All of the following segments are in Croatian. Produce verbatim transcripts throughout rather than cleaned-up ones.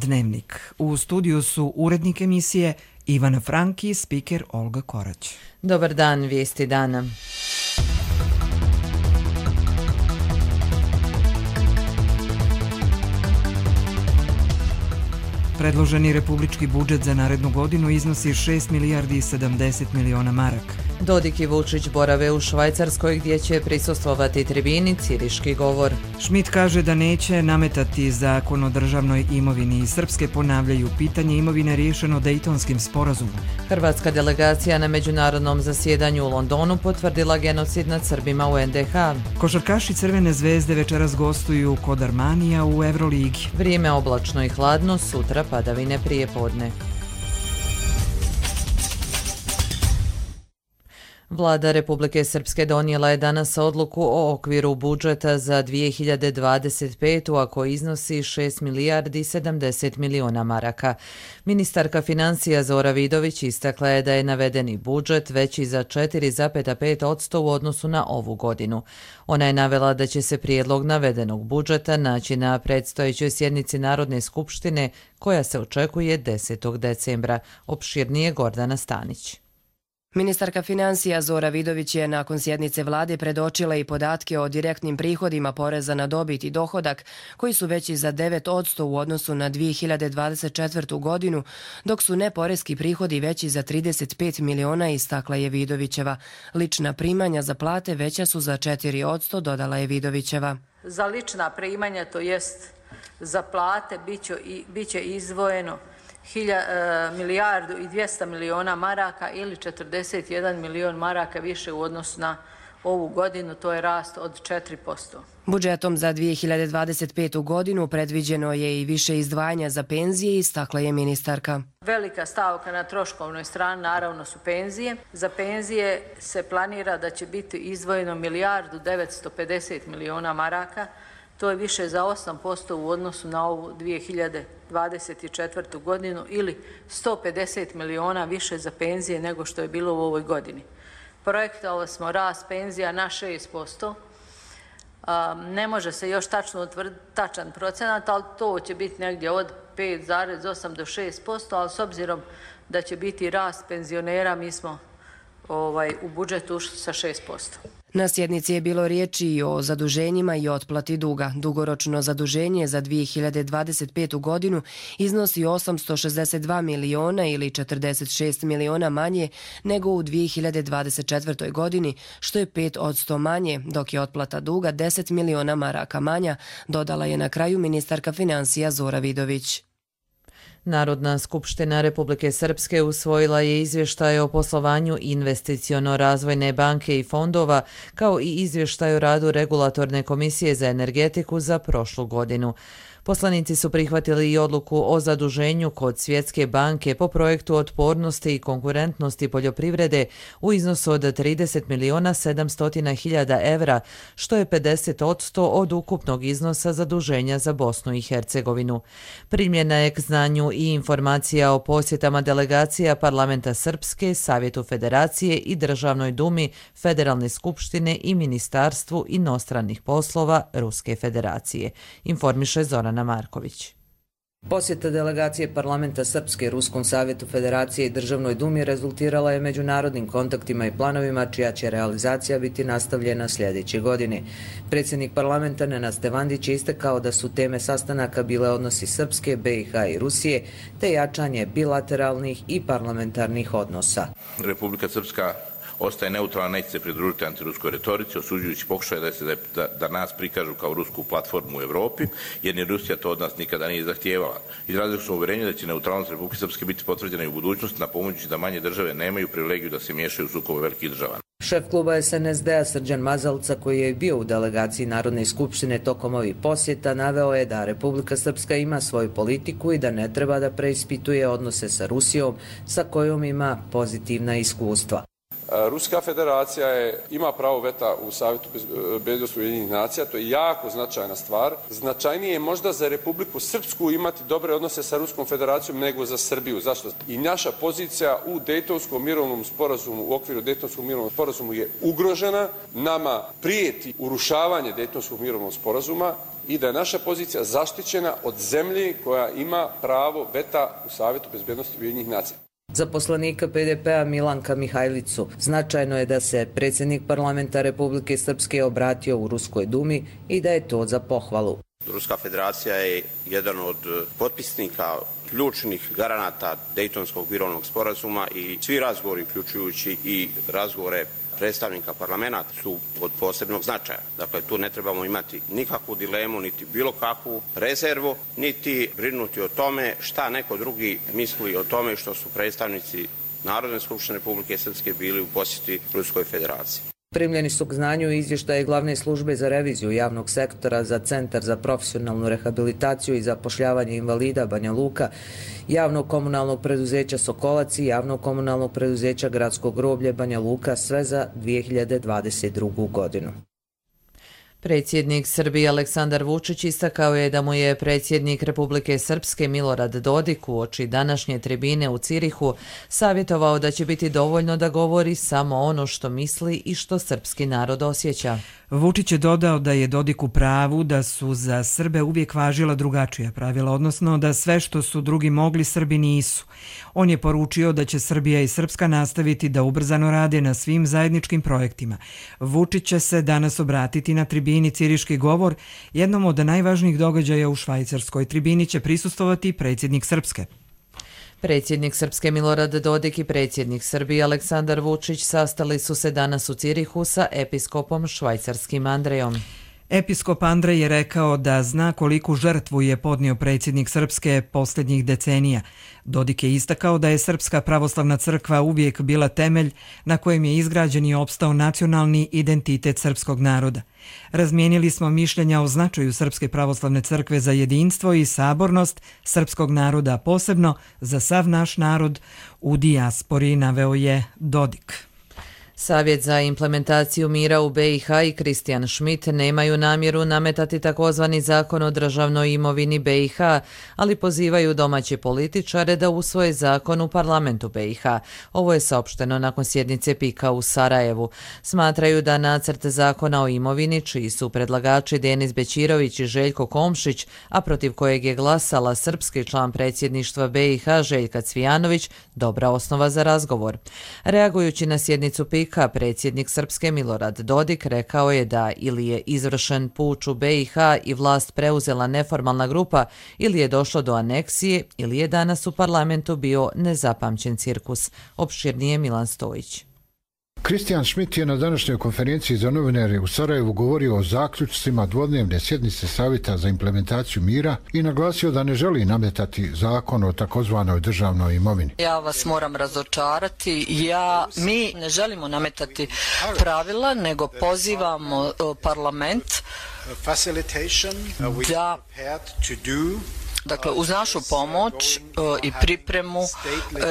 Dnevnik. U studiju su urednik emisije Ivana Franki i spiker Olga Korać. Dobar dan, vijesti dana. Predloženi republički budžet za narednu godinu iznosi šest milijardi i sedamdeset miliona maraka. Dodik i Vučić borave u Švajcarskoj gdje će prisustvovati tribini Ciriški govor. Schmidt kaže da neće nametati zakon o državnoj imovini i Srpske ponavljaju pitanje imovine riješeno Dejtonskim sporazumom. Hrvatska delegacija na međunarodnom zasjedanju u Londonu potvrdila genocid nad Srbima u en de ha. Košarkaši Crvene zvezde večeras gostuju kod Armanija u Euroligi. Vrijeme oblačno i hladno, sutra padavine prije podne. Vlada Republike Srpske donijela je danas odluku o okviru budžeta za dvije hiljade dvadeset petu. a koji iznosi šest milijardi sedamdeset miliona maraka. Ministarka financija Zora Vidović istakla je da je navedeni budžet veći za četiri zarez pet posto u odnosu na ovu godinu. Ona je navela da će se prijedlog navedenog budžeta naći na predstojećoj sjednici Narodne skupštine koja se očekuje desetog decembra. Opširnije Gordana Stanić. Ministarka financija Zora Vidović je nakon sjednice vlade predočila i podatke o direktnim prihodima poreza na dobit i dohodak, koji su veći za devet posto u odnosu na dvije hiljade dvadeset četvrtu. godinu, dok su neporeski prihodi veći za trideset pet miliona, istakla je Vidovićeva. Lična primanja za plate veća su za četiri posto, dodala je Vidovićeva. Za lična primanja, to jest za plate, bit će izdvojeno milijardu i dvjesto miliona maraka ili četrdeset jedan milion maraka više u odnosu na ovu godinu, to je rast od četiri posto. Budžetom za dvije hiljade dvadeset petu. godinu predviđeno je i više izdvajanja za penzije, istakla je ministarka. Velika stavka na troškovnoj strani naravno su penzije. Za penzije se planira da će biti izdvojeno milijardu devetsto pedeset miliona maraka. To je više za osam posto u odnosu na ovu dvije hiljade dvadeset četvrtu. godinu ili sto pedeset miliona više za penzije nego što je bilo u ovoj godini. Projektovali smo rast penzija na šest posto. Ne može se još tačno utvrditi tačan procenat, ali to će biti negdje od pet zarez osam do šest posto, ali s obzirom da će biti rast penzionera, mi smo ovaj, u budžetu ušli sa šest posto. Na sjednici je bilo riječi i o zaduženjima i otplati duga. Dugoročno zaduženje za dvije hiljade dvadeset petu. godinu iznosi osamsto šezdeset dva miliona ili četrdeset šest miliona manje nego u dvije hiljade dvadeset četvrtoj. godini, što je pet posto manje, dok je otplata duga deset miliona maraka manja, dodala je na kraju ministarka financija Zora Vidović. Narodna skupština Republike Srpske usvojila je izvještaj o poslovanju Investiciono-razvojne banke i fondova, kao i izvještaj o radu Regulatorne komisije za energetiku za prošlu godinu. Poslanici su prihvatili i odluku o zaduženju kod Svjetske banke po projektu otpornosti i konkurentnosti poljoprivrede u iznosu od trideset miliona sedamsto hiljada evra, što je pedeset posto od ukupnog iznosa zaduženja za Bosnu i Hercegovinu. Primljena je k znanju i informacija o posjetama delegacija Parlamenta Srpske, Savjetu Federacije i Državnoj dumi Federalne skupštine i Ministarstvu inostranih poslova Ruske federacije, informiše Zoran Marković. Posjeta delegacije Parlamenta Srpske Ruskom savjetu Federacije i Državnoj dumi rezultirala je međunarodnim kontaktima i planovima čija će realizacija biti nastavljena sljedeće godine. Predsjednik parlamenta Nenad Stevandić je istakao da su teme sastanaka bile odnosi Srpske, be i ha i Rusije, te jačanje bilateralnih i parlamentarnih odnosa. Republika Srpska ostaje neutralna, neće se pridružiti antiruskoj retorici, osuđujući pokušaj da, se, da, da nas prikažu kao rusku platformu u Evropi, jer ni Rusija to od nas nikada nije zahtijevala. Izrazili smo uvjerenje da će neutralnost Republike Srpske biti potvrđena i u budućnosti, napominjući da manje države nemaju privilegiju da se miješaju u sukobe velikih država. Šef kluba es en es de a Srđan Mazalca, koji je bio u delegaciji Narodne skupštine tokom ovih posjeta, naveo je da Republika Srpska ima svoju politiku i da ne treba da preispituje odnose sa Rusijom, sa kojom ima pozitivna iskustva. Ruska federacija je, ima pravo veta u Savjetu bezbednosti Ujedinjenih nacija, to je jako značajna stvar. Značajnije je možda za Republiku Srpsku imati dobre odnose sa Ruskom federacijom nego za Srbiju. Zašto? I naša pozicija u Dejtonskom mirovnom sporazumu, u okviru Dejtonskog mirovnog sporazumu je ugrožena. Nama prijeti urušavanje Dejtonskog mirovnog sporazuma i da je naša pozicija zaštićena od zemlje koja ima pravo veta u Savjetu bezbednosti Ujedinjenih nacija. Za poslanika P D P-a Milanka Mihajlicu značajno je da se predsjednik parlamenta Republike Srpske obratio u Ruskoj dumi i da je to za pohvalu. Ruska federacija je jedan od potpisnika ključnih garanata Dejtonskog mirovnog sporazuma i svi razgovori, uključujući i razgovore predstavnika parlamenta, su od posebnog značaja. Dakle, tu ne trebamo imati nikakvu dilemu, niti bilo kakvu rezervu, niti brinuti o tome šta neko drugi misli o tome što su predstavnici Narodne skupštine Republike Srpske bili u posjeti Ruskoj federaciji. Primljeni su k znanju izvještaje Glavne službe za reviziju javnog sektora za Centar za profesionalnu rehabilitaciju i zapošljavanje invalida Banja Luka, javnog komunalnog preduzeća Sokolac i javnog komunalnog preduzeća Gradsko groblje Banja Luka, sve za dvije hiljade dvadeset drugu. godinu. Predsjednik Srbije Aleksandar Vučić istakao je da mu je predsjednik Republike Srpske Milorad Dodik uoči današnje tribine u Cirihu savjetovao da će biti dovoljno da govori samo ono što misli i što srpski narod osjeća. Vučić je dodao da je Dodik u pravu da su za Srbe uvijek važila drugačija pravila, odnosno da sve što su drugi mogli Srbi nisu. On je poručio da će Srbija i Srpska nastaviti da ubrzano rade na svim zajedničkim projektima. Vučić će se danas obratiti na tribini Ciriški govor, jednom od najvažnijih događaja u Švajcarskoj. Tribini će prisustvovati predsjednik Srpske. Predsjednik Srpske Milorad Dodik i predsjednik Srbije Aleksandar Vučić sastali su se danas u Cirihu sa episkopom švajcarskim Andrejom. Episkop Andrej je rekao da zna koliku žrtvu je podnio predsjednik Srpske posljednjih decenija. Dodik je istakao da je Srpska pravoslavna crkva uvijek bila temelj na kojem je izgrađen i opstao nacionalni identitet srpskog naroda. Razmijenili smo mišljenja o značaju Srpske pravoslavne crkve za jedinstvo i sabornost srpskog naroda, posebno za sav naš narod u dijaspori, naveo je Dodik. Savjet za implementaciju mira u B i H i Kristijan Schmidt nemaju namjeru nametati takozvani zakon o državnoj imovini B i H, ali pozivaju domaće političare da usvoje zakon u parlamentu B i H. Ovo je saopšteno nakon sjednice P I K-a u Sarajevu. Smatraju da nacrt zakona o imovini, čiji su predlagači Denis Bećirović i Željko Komšić, a protiv kojeg je glasala srpski član predsjedništva B i H Željka Cvijanović, dobra osnova za razgovor. Reagujući na sjednicu P I K-a, predsjednik Srpske Milorad Dodik rekao je da ili je izvršen puč u B i H i vlast preuzela neformalna grupa, ili je došlo do aneksije, ili je danas u parlamentu bio nezapamćen cirkus. Opširnije Milan Stojić. Kristijan Schmidt je na današnjoj konferenciji za novinare u Sarajevu govorio o zaključcima dvodnevne sjednice Savjeta za implementaciju mira i naglasio da ne želi nametati zakon o takozvanoj državnoj imovini. Ja vas moram razočarati. Ja, mi ne želimo nametati pravila, nego pozivamo parlament da dakle, uz našu pomoć i pripremu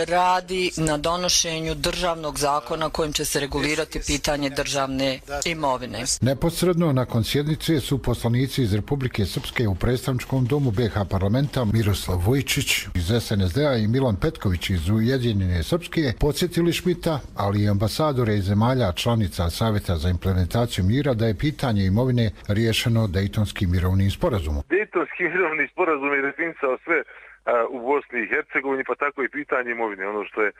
radi na donošenju državnog zakona kojim će se regulirati pitanje državne imovine. Neposredno nakon sjednice su poslanici iz Republike Srpske u predstavničkom domu B i H parlamenta Miroslav Vojčić iz S N S D-a i Milan Petković iz Ujedinjene Srpske podsjetili Šmita, ali i ambasadore iz zemalja članica Savjeta za implementaciju mira, da je pitanje imovine riješeno Dejtonskim mirovnim sporazumom. Dejtonski mirovni sporazum je definisao sve u Bosni i Hercegovini, pa tako i pitanje imovine. Ono što je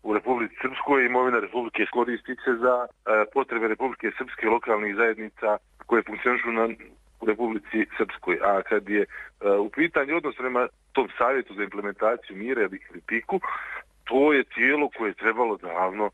u Republici Srpskoj, imovina Republike koristi se za potrebe Republike Srpske lokalnih zajednica koje funkcionišu na u Republici Srpskoj. A kad je u pitanju odnos prema tom savjetu za implementaciju mira ili P I K-u, to je tijelo koje je trebalo davno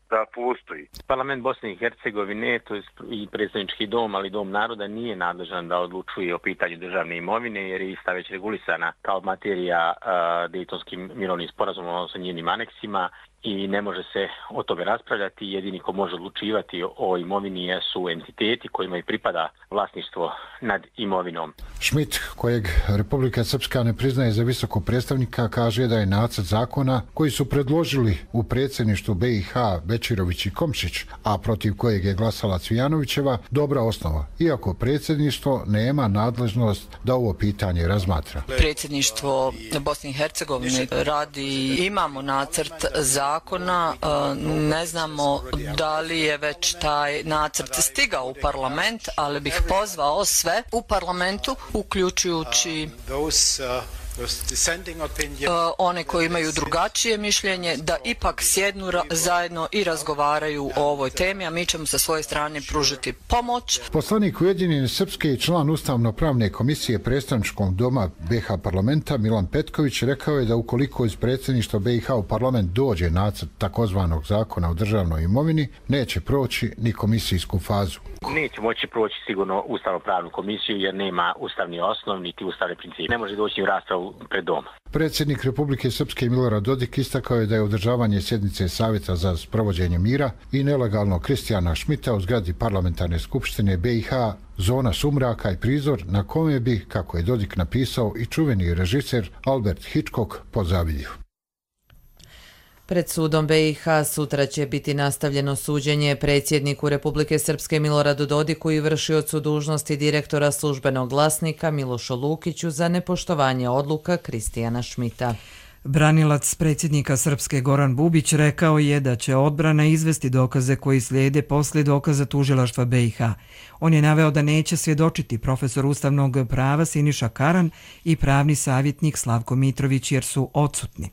da postoji. Parlament Bosne i Hercegovine, to je i predstavnički dom, ali dom naroda, nije nadležan da odlučuje o pitanju državne imovine, jer je ista već regulisana kao materija uh, Dejtonskim mirovnim sporazumom, odnosno njenim aneksima, i ne može se o tome raspravljati. Jedini ko može odlučivati o imovini su entiteti kojima i pripada vlasništvo nad imovinom. Schmidt, kojeg Republika Srpska ne priznaje za visokog predstavnika, kaže da je nacrt zakona koji su predložili u predsjedništvu B i H ha Bečirović i Komšić, a protiv kojeg je glasala Cvijanovićeva, dobra osnova, iako predsjedništvo nema nadležnost da ovo pitanje razmatra. Predsjedništvo Bosne i Hercegovine radi, imamo nacrt zakona, ne znamo da li je već taj nacrt stigao u parlament, ali bih pozvao sve u parlamentu, uključujući one koji imaju drugačije mišljenje, da ipak sjednu zajedno i razgovaraju o ovoj temi, a mi ćemo sa svoje strane pružiti pomoć. Poslanik Ujedinjene Srpske i član Ustavno-pravne komisije predstavničkog doma be ha parlamenta Milan Petković rekao je da ukoliko iz predsjedništva be i ha u parlament dođe nacrt takozvanog zakona o državnoj imovini, neće proći ni komisijsku fazu. Neće moći proći sigurno Ustavno-pravnu komisiju jer nema ustavni osnov niti ustavni princip. Ne može doći u raspravu pred dom. Predsjednik Republike Srpske Milorad Dodik istakao je da je održavanje sjednice Savjeta za sprovođenje mira i nelegalnog Kristijana Šmita u zgradi parlamentarne skupštine be i ha zona sumraka i prizor na kome bi, kako je Dodik napisao, i čuveni režiser Albert Hitchcock pozavidio. Pred sudom be i ha sutra će biti nastavljeno suđenje predsjedniku Republike Srpske Miloradu Dodiku i vršiocu dužnosti direktora službenog glasnika Milošu Lukiću za nepoštovanje odluka Kristijana Šmita. Branilac predsjednika Srpske Goran Bubić rekao je da će odbrana izvesti dokaze koji slijede poslije dokaza tužilaštva be i ha. On je naveo da neće svjedočiti profesor ustavnog prava Siniša Karan i pravni savjetnik Slavko Mitrović jer su odsutni.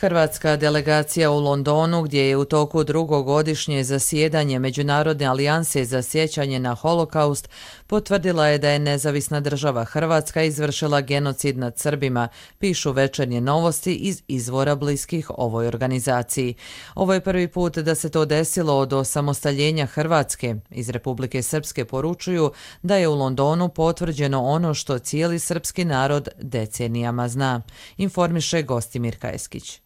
Hrvatska delegacija u Londonu, gdje je u toku drugogodišnje zasjedanje Međunarodne alijanse za sjećanje na holokaust, potvrdila je da je nezavisna država Hrvatska izvršila genocid nad Srbima, pišu Večernje novosti iz izvora bliskih ovoj organizaciji. Ovo je prvi put da se to desilo od osamostaljenja Hrvatske. Iz Republike Srpske poručuju da je u Londonu potvrđeno ono što cijeli srpski narod decenijama zna, informiše Gostimir Kajeskić.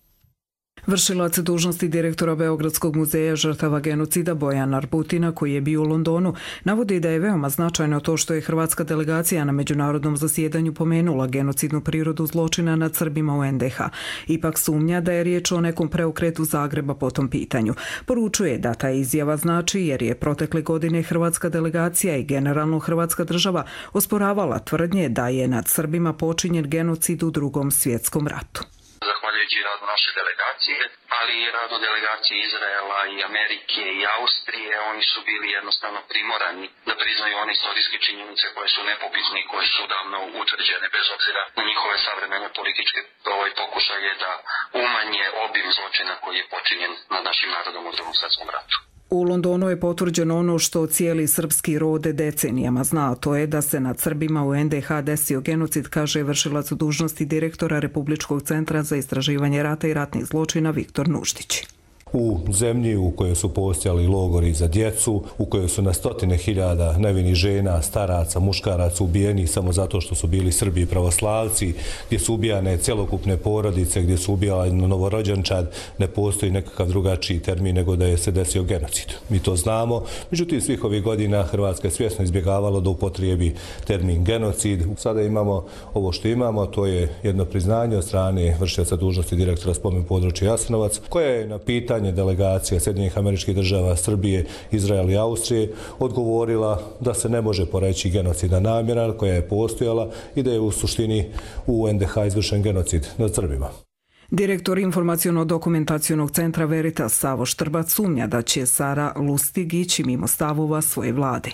Vršilac dužnosti direktora Beogradskog muzeja žrtava genocida Bojan Arbutina, koji je bio u Londonu, navodi da je veoma značajno to što je hrvatska delegacija na međunarodnom zasjedanju pomenula genocidnu prirodu zločina nad Srbima u en de ha. Ipak sumnja da je riječ o nekom preokretu Zagreba po tom pitanju. Poručuje da ta izjava znači jer je protekle godine hrvatska delegacija i generalno hrvatska država osporavala tvrdnje da je nad Srbima počinjen genocid u Drugom svjetskom ratu. Zahvaljujući radu naše delegacije, ali i radu delegacije Izraela i Amerike i Austrije, oni su bili jednostavno primorani da priznaju one istorijske činjenice koje su nepobitne i koje su davno utvrđene bez obzira na njihove savremene političke ovaj pokušaje da umanje obim zločina koji je počinjen nad našim narodom u Drugom svjetskom ratu. U Londonu je potvrđeno ono što cijeli srpski rod decenijama zna, a to je da se nad Srbima u en de ha desio genocid, kaže vršilac dužnosti direktora Republičkog centra za istraživanje rata i ratnih zločina Viktor Nuštić. U zemlji u kojoj su postojali logori za djecu, u kojoj su na stotine hiljada nevinih žena, staraca, muškaraca ubijeni samo zato što su bili Srbi i pravoslavci, gdje su ubijane celokupne porodice, gdje su ubijali novorođenčad, ne postoji nekakav drugačiji termin nego da je se desio genocid. Mi to znamo, međutim svih ovih godina Hrvatska je svjesno izbjegavala da upotrijebi termin genocid. Sada imamo ovo što imamo, to je jedno priznanje od strane vršioca dužnosti direktora spomen područja Jasenovac, koja je na pitanje delegacija Sjedinjenih Američkih Država, Srbije, Izraela i Austrije odgovorila da se ne može poreći genocidna namjera koja je postojala i da je u suštini u en de ha izvršen genocid nad Srbima. Direktor informaciono-dokumentacionog centra Veritas Savo Štrbac sumnja da će Sara Lustig ići mimo stavova svoje vlade.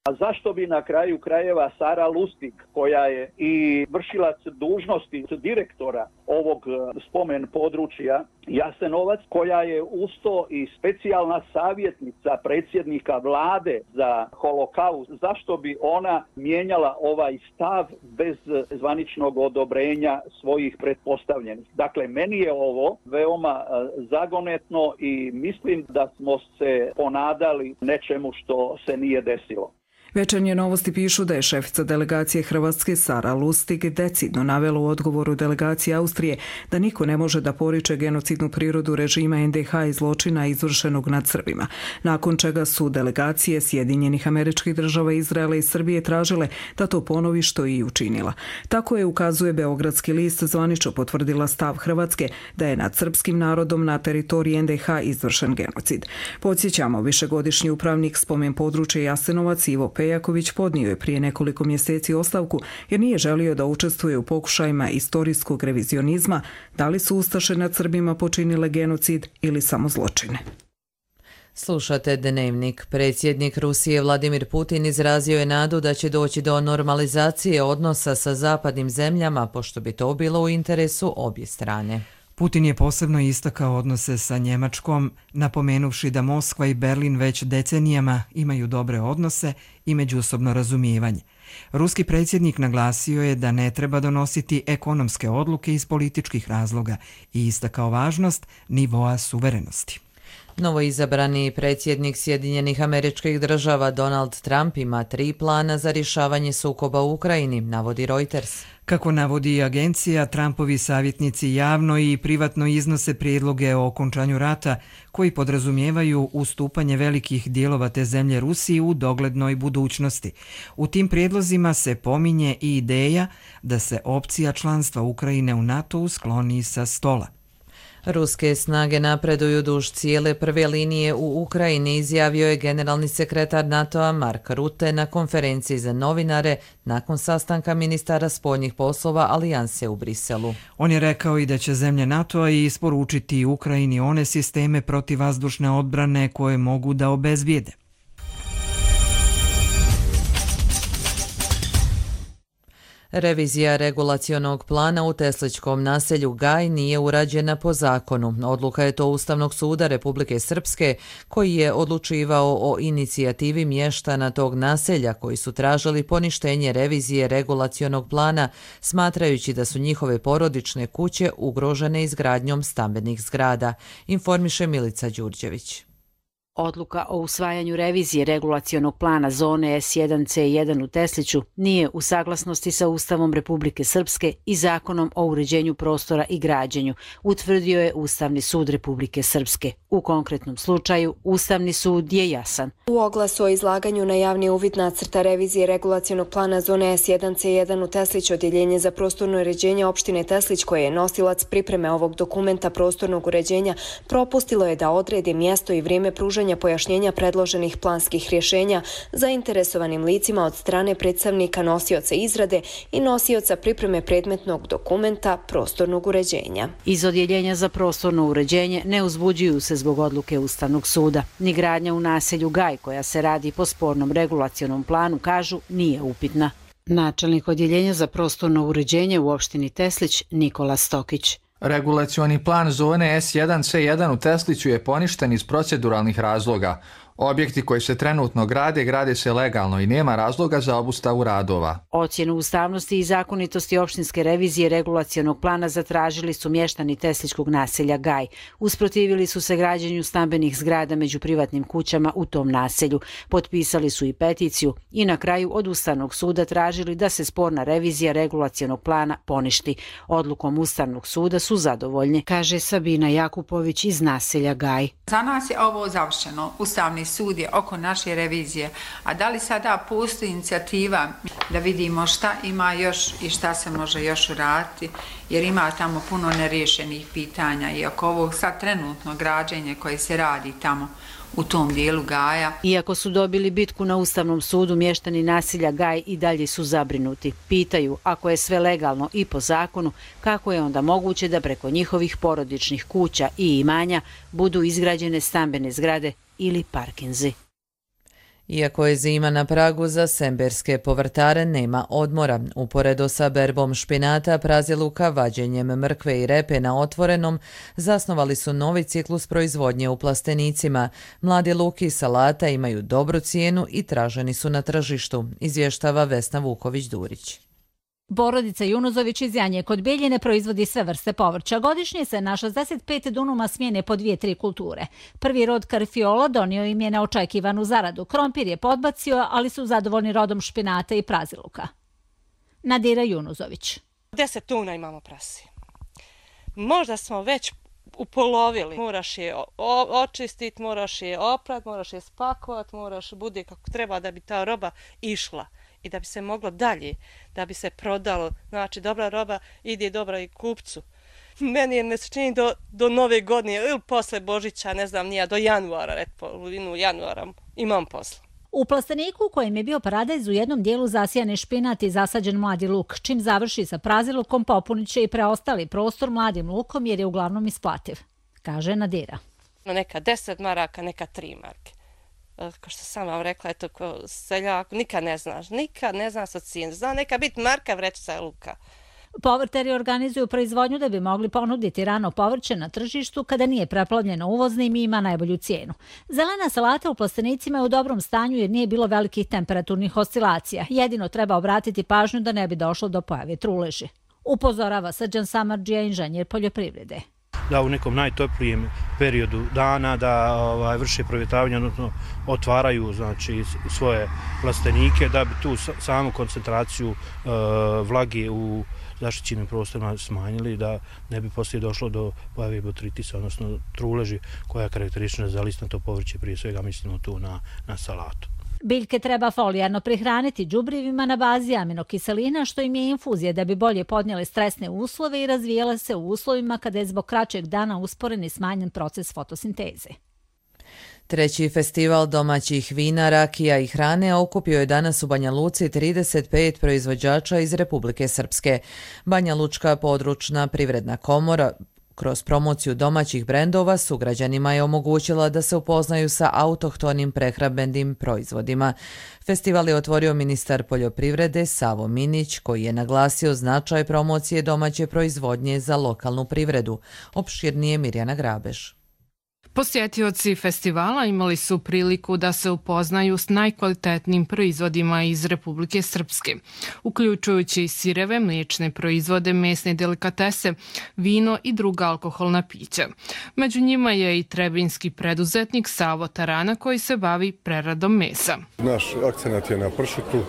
A zašto bi na kraju krajeva Sara Lustig, koja je i vršilac dužnosti direktora ovog spomen područja Jasenovac, koja je usto i specijalna savjetnica predsjednika vlade za holokaust, zašto bi ona mijenjala ovaj stav bez zvaničnog odobrenja svojih pretpostavljenih? Dakle, meni je ovo veoma zagonetno i mislim da smo se ponadali nečemu što se nije desilo. Večernje novosti pišu da je šefica delegacije Hrvatske Sara Lustig decidno navela u odgovoru delegacije Austrije da niko ne može da poriče genocidnu prirodu režima en de ha i zločina izvršenog nad Srbima, nakon čega su delegacije Sjedinjenih Američkih Država, Izraela i Srbije tražile da to ponovi, što i učinila. Tako je, ukazuje Beogradski list, zvanično potvrdila stav Hrvatske da je nad srpskim narodom na teritoriji en de ha izvršen genocid. Podsjećamo, višegodišnji upravnik spomen područja Jasenovac Ivo Pejaković podnio je prije nekoliko mjeseci ostavku jer nije želio da učestvuje u pokušajima istorijskog revizionizma, da li su ustaše nad Srbima počinile genocid ili samo zločine. Slušate Dnevnik. Predsjednik Rusije Vladimir Putin izrazio je nadu da će doći do normalizacije odnosa sa zapadnim zemljama, pošto bi to bilo u interesu obje strane. Putin je posebno istakao odnose sa Njemačkom, napomenuvši da Moskva i Berlin već decenijama imaju dobre odnose i međusobno razumijevanje. Ruski predsjednik naglasio je da ne treba donositi ekonomske odluke iz političkih razloga i istakao važnost nivoa suverenosti. Novoizabrani predsjednik Sjedinjenih Američkih Država Donald Trump ima tri plana za rješavanje sukoba u Ukrajini, navodi Reuters. Kako navodi agencija, Trumpovi savjetnici javno i privatno iznose prijedloge o okončanju rata koji podrazumijevaju ustupanje velikih dijelova te zemlje Rusiji u doglednoj budućnosti. U tim prijedlozima se pominje i ideja da se opcija članstva Ukrajine u NATO-u skloni sa stola. Ruske snage napreduju duž cijele prve linije u Ukrajini, izjavio je generalni sekretar NATO-a Mark Rutte na konferenciji za novinare nakon sastanka ministara spoljnih poslova Alijanse u Briselu. On je rekao i da će zemlje NATO-a isporučiti Ukrajini one sisteme protivvazdušne odbrane koje mogu da obezbijede. Revizija regulacionog plana u tesličkom naselju Gaj nije urađena po zakonu. Odluka je to Ustavnog suda Republike Srpske, koji je odlučivao o inicijativi mještana tog naselja koji su tražili poništenje revizije regulacionog plana, smatrajući da su njihove porodične kuće ugrožene izgradnjom stambenih zgrada, informiše Milica Đurđević. Odluka o usvajanju revizije regulacionog plana zone es jedan ce jedan u Tesliću nije u saglasnosti sa Ustavom Republike Srpske i Zakonom o uređenju prostora i građenju, utvrdio je Ustavni sud Republike Srpske. U konkretnom slučaju, Ustavni sud je jasan. U oglasu o izlaganju na javni uvid nacrta revizije regulacionog plana zone es jedan ce jedan u Tesliću, odjeljenje za prostorno uređenje opštine Teslić, koje je nosilac pripreme ovog dokumenta prostornog uređenja, propustilo je da odredi mjesto i vrijeme pružanja pojašnjenja predloženih planskih rješenja zainteresovanim licima od strane predstavnika nosioca izrade i nosioca pripreme predmetnog dokumenta prostornog uređenja. Iz odjeljenja za prostorno uređenje ne uzbuđuju se zbog odluke Ustavnog suda. Ni gradnja u naselju Gaj, koja se radi po spornom regulacionom planu, kažu, nije upitna. Načelnik odjeljenja za prostorno uređenje u opštini Teslić Nikola Stokić. Regulacioni plan zone es jedan ce jedan u Tesliću je poništen iz proceduralnih razloga. Objekti koji se trenutno grade, grade se legalno i nema razloga za obustavu radova. Ocjenu ustavnosti i zakonitosti opštinske revizije regulacionog plana zatražili su mještani tesličkog naselja Gaj. Usprotivili su se građenju stambenih zgrada među privatnim kućama u tom naselju. Potpisali su i peticiju i na kraju od Ustavnog suda tražili da se sporna revizija regulacionog plana poništi. Odlukom Ustavnog suda su zadovoljni, kaže Sabina Jakupović iz naselja Gaj. Za nas je ovo završeno. Ustavni sud je oko naše revizije, a da li sada postoji inicijativa da vidimo šta ima još i šta se može još uraditi, jer ima tamo puno neriješenih pitanja i oko ovog sad trenutno građenje koje se radi tamo u tom dijelu Gaja. Iako su dobili bitku na Ustavnom sudu, mještani naselja Gaj i dalje su zabrinuti. Pitaju, ako je sve legalno i po zakonu, kako je onda moguće da preko njihovih porodičnih kuća i imanja budu izgrađene stambene zgrade ili parkinzi. Iako je zima na pragu, za semberske povrtare nema odmora. Uporedo sa berbom špinata, praziluka, vađenjem mrkve i repe na otvorenom, zasnovali su novi ciklus proizvodnje u plastenicima. Mladi luk i salata imaju dobru cijenu i traženi su na tržištu, izvještava Vesna Vuković-Durić. Porodica Junuzović iz Janje kod Bijeljine proizvodi sve vrste povrća. Godišnje se na šezdeset pet dunuma smijene po dvije, tri kulture. Prvi rod karfiola donio im je neočekivanu zaradu. Krompir je podbacio, ali su zadovoljni rodom špinata i praziluka. Nadira Junuzović. Deset tuna imamo prasi. Možda smo već upolovili. Moraš je očistiti, moraš je oprat, moraš je spakovati, moraš bude kako treba da bi ta roba išla i da bi se moglo dalje, da bi se prodalo. Znači, dobra roba ide dobra i kupcu. Meni je ne se čini do, do nove godine ili posle Božića, ne znam, nija do januara, red polovinu januara imam posla. U plasteniku u kojem je bio paradajz u jednom dijelu zasijane špinat i zasađen mladi luk. Čim završi sa prazilukom, popunit će i preostali prostor mladim lukom jer je uglavnom isplativ, kaže Nadira. Neka deset maraka, neka tri marke. Kao što sam vam rekla, eto, ko seljak, nikad ne znaš, nikad ne znaš od cijene. Zna neka biti marka vrećica luka. Povrtari organizuju proizvodnju da bi mogli ponuditi rano povrće na tržištu kada nije preplavljeno uvoznim i ima najbolju cijenu. Zelena salata u plastenicima je u dobrom stanju jer nije bilo velikih temperaturnih oscilacija. Jedino treba obratiti pažnju da ne bi došlo do pojave truleži. Upozorava Srđan Samardžija, inženjer poljoprivrede. Da u nekom najtoplijem periodu dana da ovaj, vrše provjetravanje, odnosno otvaraju znači, svoje plastenike da bi tu samu koncentraciju uh, vlage u zaštićenim prostorima smanjili, da ne bi poslije došlo do pojave botritisa, odnosno truleži koja je karakteristična za listnato povrće, prije svega mislimo tu na, na salatu. Biljke treba folijarno prihraniti đubrivima na bazi aminokiselina, što im je infuzija da bi bolje podnijele stresne uslove i razvijale se u uslovima kada je zbog kraćeg dana usporen i smanjen proces fotosinteze. Treći festival domaćih vina, rakija i hrane okupio je danas u Banja Luci trideset pet proizvođača iz Republike Srpske. Banja Lučka područna privredna komora kroz promociju domaćih brendova sugrađanima je omogućila da se upoznaju sa autohtonim prehrambenim proizvodima. Festival je otvorio ministar poljoprivrede Savo Minić, koji je naglasio značaj promocije domaće proizvodnje za lokalnu privredu. Opširnije Mirjana Grabež. Posjetioci festivala imali su priliku da se upoznaju s najkvalitetnijim proizvodima iz Republike Srpske, uključujući sireve, mliječne proizvode, mesne delikatese, vino i druga alkoholna pića. Među njima je i trebinski preduzetnik Savo Tarana koji se bavi preradom mesa. Naš akcenat je na pršutu.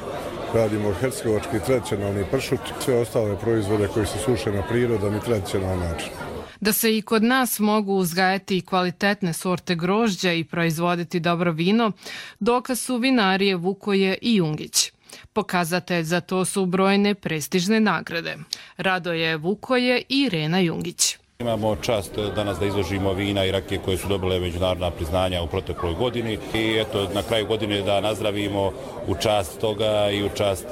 Radimo hercegovački tradicionalni pršut, sve ostale proizvode koji se suše na prirodan i tradicionalan način. Da se i kod nas mogu uzgajati kvalitetne sorte grožđa i proizvoditi dobro vino, dokaz su vinarije Vukoje i Jungić. Pokazatelj za to su brojne prestižne nagrade. Radoje Vukoje i Irena Jungić. Imamo čast danas da izložimo vina i rakije koje su dobile međunarodna priznanja u protekloj godini i eto na kraju godine da nazdravimo u čast toga i u čast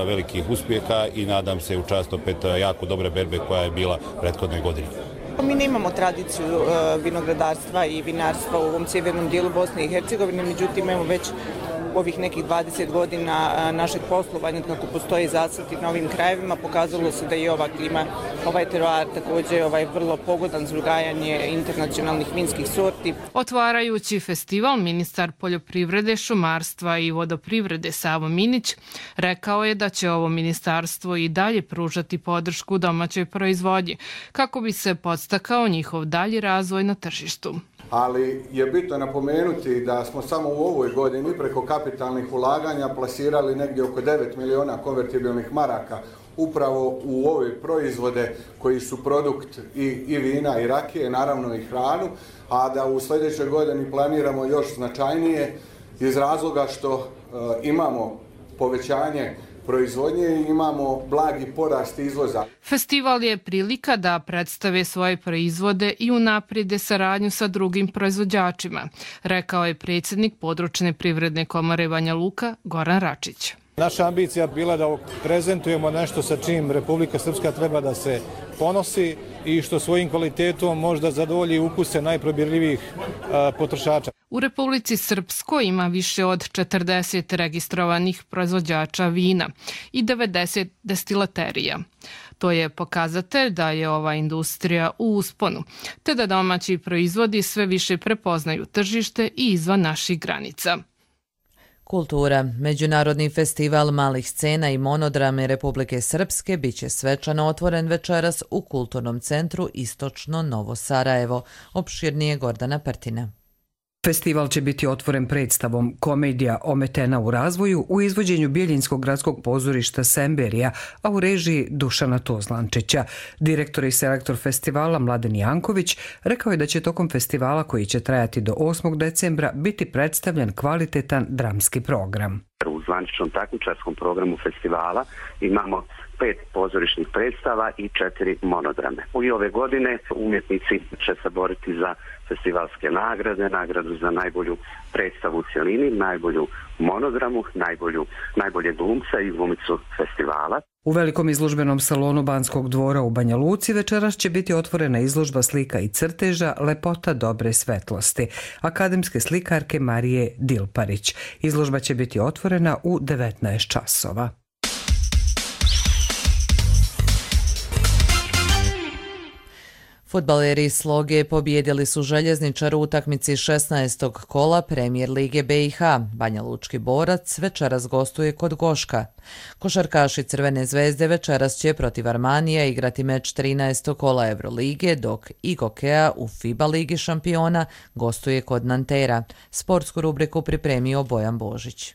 velikih uspjeha i nadam se u čast opet jako dobre berbe koja je bila prethodne godine. Mi nemamo tradiciju vinogradarstva i vinarstva u ovom sjevernom dijelu Bosne i Hercegovine, međutim imamo već ovih nekih dvadeset godina našeg poslovanja kako postoje zasadi na ovim krajevima, pokazalo se da je ova klima, ovaj teroar također ovaj vrlo pogodan za uzgajanje internacionalnih vinskih sorti. Otvarajući festival, ministar poljoprivrede, šumarstva i vodoprivrede Savo Minić rekao je da će ovo ministarstvo i dalje pružati podršku domaćoj proizvodnji kako bi se podstakao njihov dalji razvoj na tržištu. Ali je bitno napomenuti da smo samo u ovoj godini preko kapitalnih ulaganja plasirali negdje oko devet miliona konvertibilnih maraka upravo u ove proizvode koji su produkt i, i vina i rakije, naravno i hranu, a da u sljedećoj godini planiramo još značajnije iz razloga što e, imamo povećanje proizvodnje i imamo blagi porast izvoza. Festival je prilika da predstave svoje proizvode i unaprijede saradnju sa drugim proizvođačima, rekao je predsjednik područne privredne komore Banja Luka Goran Račić. Naša ambicija bila da prezentujemo nešto sa čim Republika Srpska treba da se ponosi i što svojim kvalitetom možda zadovolji ukuse najprobirljivijih potrošača. U Republici Srpskoj ima više od četrdeset registrovanih proizvođača vina i devedeset destilaterija. To je pokazatelj da je ova industrija u usponu, te da domaći proizvodi sve više prepoznaju tržište i izvan naših granica. Kultura. Međunarodni festival malih scena i monodrame Republike Srpske biće svečano otvoren večeras u Kulturnom centru Istočno Novo Sarajevo. Opširnije Gordana Pertina. Festival će biti otvoren predstavom Komedija ometena u razvoju u izvođenju Bijeljinskog gradskog pozorišta Semberija, a u režiji Dušana Tozlančića. Direktor i selektor festivala Mladen Janković rekao je da će tokom festivala, koji će trajati do osmog decembra, biti predstavljen kvalitetan dramski program. U zvaničnom takmičarskom programu festivala imamo pet pozorišnih predstava i četiri monodrame. I ove godine umjetnici će se boriti za festivalske nagrade, nagradu za najbolju predstavu u cjelini, najbolju monodramu, najbolju, najbolje glumca i glumicu festivala. U velikom izložbenom salonu Banskog dvora u Banja Luci večeras će biti otvorena izložba slika i crteža Lepota dobre svetlosti akademske slikarke Marije Dilparić. Izložba će biti otvorena u devetnaest časova. Fudbaleri Sloge pobijedili su Željezničar u utakmici šesnaestog kola Premijer Lige B i H. Banja Lučki borac večeras gostuje kod Goška. Košarkaši Crvene zvezde večeras će protiv Armanija igrati meč trinaestog kola Evrolige, dok Igokea u FIBA Ligi šampiona gostuje kod Nantera. Sportsku rubriku pripremio Bojan Božić.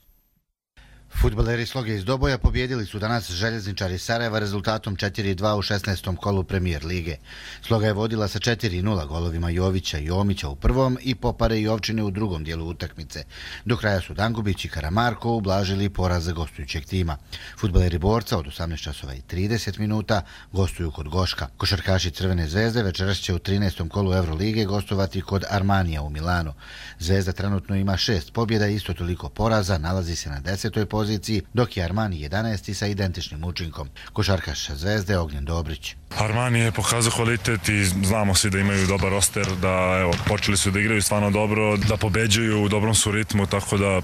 Fudbaleri Sloge iz Doboja pobjedili su danas Željezničari Sarajeva rezultatom četiri dva u šesnaestom kolu Premijer Lige. Sloga je vodila sa četiri nula golovima Jovića i Omića u prvom i Popare i Ovčine u drugom dijelu utakmice. Do kraja su Dangubić i Karamarko ublažili poraz gostujućeg tima. Fudbaleri Borca od osamnaest časova i trideset minuta gostuju kod Goška. Košarkaši Crvene zvezde večeras će u trinaestom kolu Evrolige gostovati kod Armanija u Milanu. Zvezda trenutno ima šest pobjeda i isto toliko poraza, nalazi se na desetoj poziciji, dok je Armani jedanaesti sa identičnim učinkom. Košarkaš Zvezde Ognjen Dobrić. Armani je pokazao kvalitet i znamo svi da imaju dobar roster, da evo, počeli su da igraju stvarno dobro, da pobeđuju, u dobrom su ritmu, tako da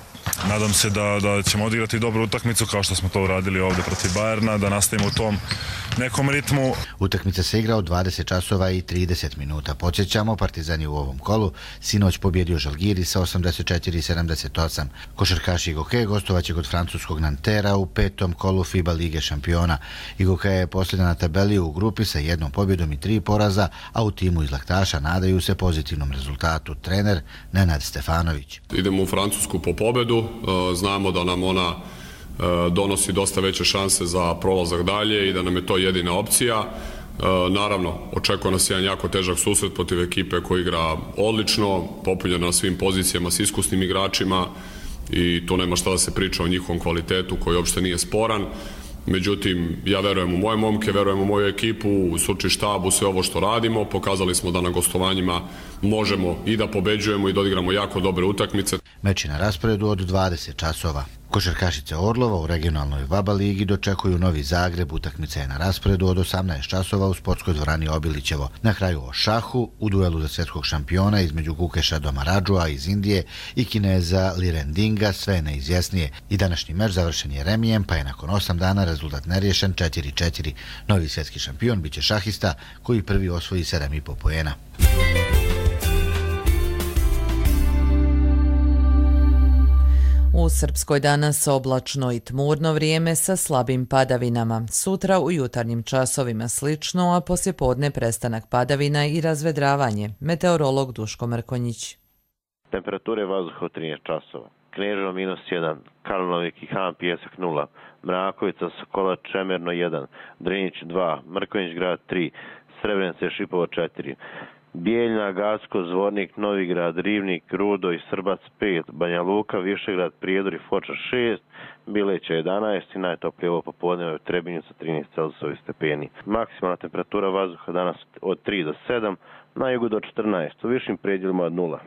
nadam se da, da ćemo odigrati dobru utakmicu kao što smo to uradili ovdje protiv Bajerna, da nastavimo u tom nekom ritmu. Utakmica se igra od dvadeset časova i trideset minuta. Podsjećamo, Partizan je u ovom kolu sinoć pobjedio Žalgiri sa osamdeset četiri sedamdeset osam. Košarkaši Igoke gostovaće kod francuskog Nantera u petom kolu FIBA Lige šampiona. Igoke je posljedna na tabeli u grupi sa jednom pobjedom i tri poraza, a u timu iz Laktaša nadaju se pozitivnom rezultatu. Trener Nenad Stefanović. Idemo u Francusku po pobedu, znamo da nam ona donosi dosta veće šanse za prolazak dalje i da nam je to jedina opcija. Naravno, očekuje nas jedan jako težak susret protiv ekipe koja igra odlično, popunjena na svim pozicijama s iskusnim igračima i tu nema šta da se priča o njihovom kvalitetu koji uopšte nije sporan. Međutim, ja verujem u moje momke, verujem u moju ekipu, u stručni štab, u sve ovo što radimo. Pokazali smo da na gostovanjima možemo i da pobeđujemo i da odigramo jako dobre utakmice. Meč je na rasporedu od dvadeset časova. Košarkašice Orlova u regionalnoj VABA ligi dočekuju Novi Zagreb. Utakmica je na rasporedu od osamnaest časova u sportskoj dvorani Obilićevo. Na kraju o šahu u duelu za svjetskog šampiona između Gukeša Domaradžua iz Indije i Kineza Lirendinga sve je neizvjesnije. I današnji meč završen je remijem, pa je nakon osam dana rezultat neriješen četiri četiri. Novi svjetski šampion biće šahista koji prvi osvoji sedam i po poena. U Srpskoj danas oblačno i tmurno vrijeme sa slabim padavinama. Sutra u jutarnjim časovima slično, a poslijepodne prestanak padavina i razvedravanje. Meteorolog Duško Mrkonjić. Temperature vazduha od trinaest časova. Kneževo minus jedan, Karlovik i Han Pijesak nula, Mrakovica, Sokola, Čemerno jedan, Drinić dva, Mrkonjić grad tri, Srebrenice, Šipovo četiri. Bijeljna, Gacko, Zvornik, Novigrad, Rivnik, Rudo i Srbac pet, Banja Luka, Višegrad, Prijedor i Foča šest, Bileća jedanaest i najtoplije ovo popodne u Trebinju sa trinaest Celzijusovih stepeni. Maksimalna temperatura vazduha danas od tri do sedam, na jugu do četrnaest, u višim predjelima od nula.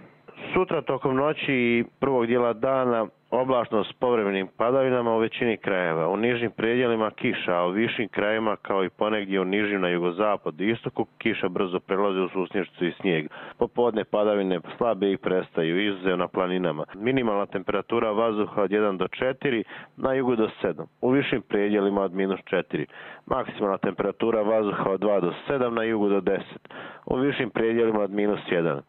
Sutra tokom noći i prvog dijela dana oblačno s povremenim padavinama u većini krajeva. U nižim predjelima kiša, a u višim krajevima kao i ponegdje u nižim na jugozapad i istoku kiša brzo prelazi u susnješću i snijeg. Popodne padavine slabe i prestaju, izuzev na planinama. Minimalna temperatura vazduha od jedan do četiri, na jugu do sedam. U višim predjelima od minus četiri. Maksimalna temperatura vazduha od dva do sedam, na jugu do deset. U višim predjelima od minus jedan.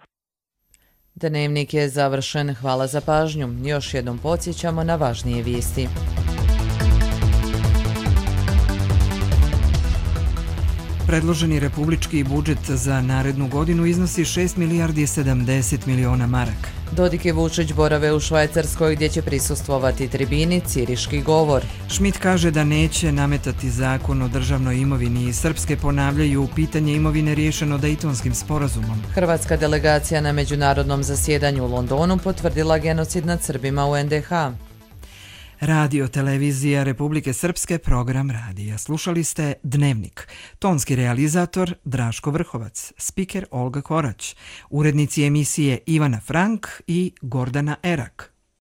Dnevnik je završen. Hvala za pažnju. Još jednom podsjećamo na važnije vijesti. Predloženi republički budžet za narednu godinu iznosi šest milijardi sedamdeset miliona maraka. Dodik i Vučić borave u Švajcarskoj gdje će prisustvovati tribini Ciriški govor. Schmidt kaže da neće nametati zakon o državnoj imovini i Srpske ponavljaju pitanje imovine riješeno Dejtonskim sporazumom. Hrvatska delegacija na međunarodnom zasjedanju u Londonu potvrdila genocid nad Srbima u en de ha. Radio televizija Republike Srpske, program radija. Slušali ste Dnevnik. Tonski realizator Draško Vrhovac, spiker Olga Korać, urednici emisije Ivana Frank i Gordana Erak.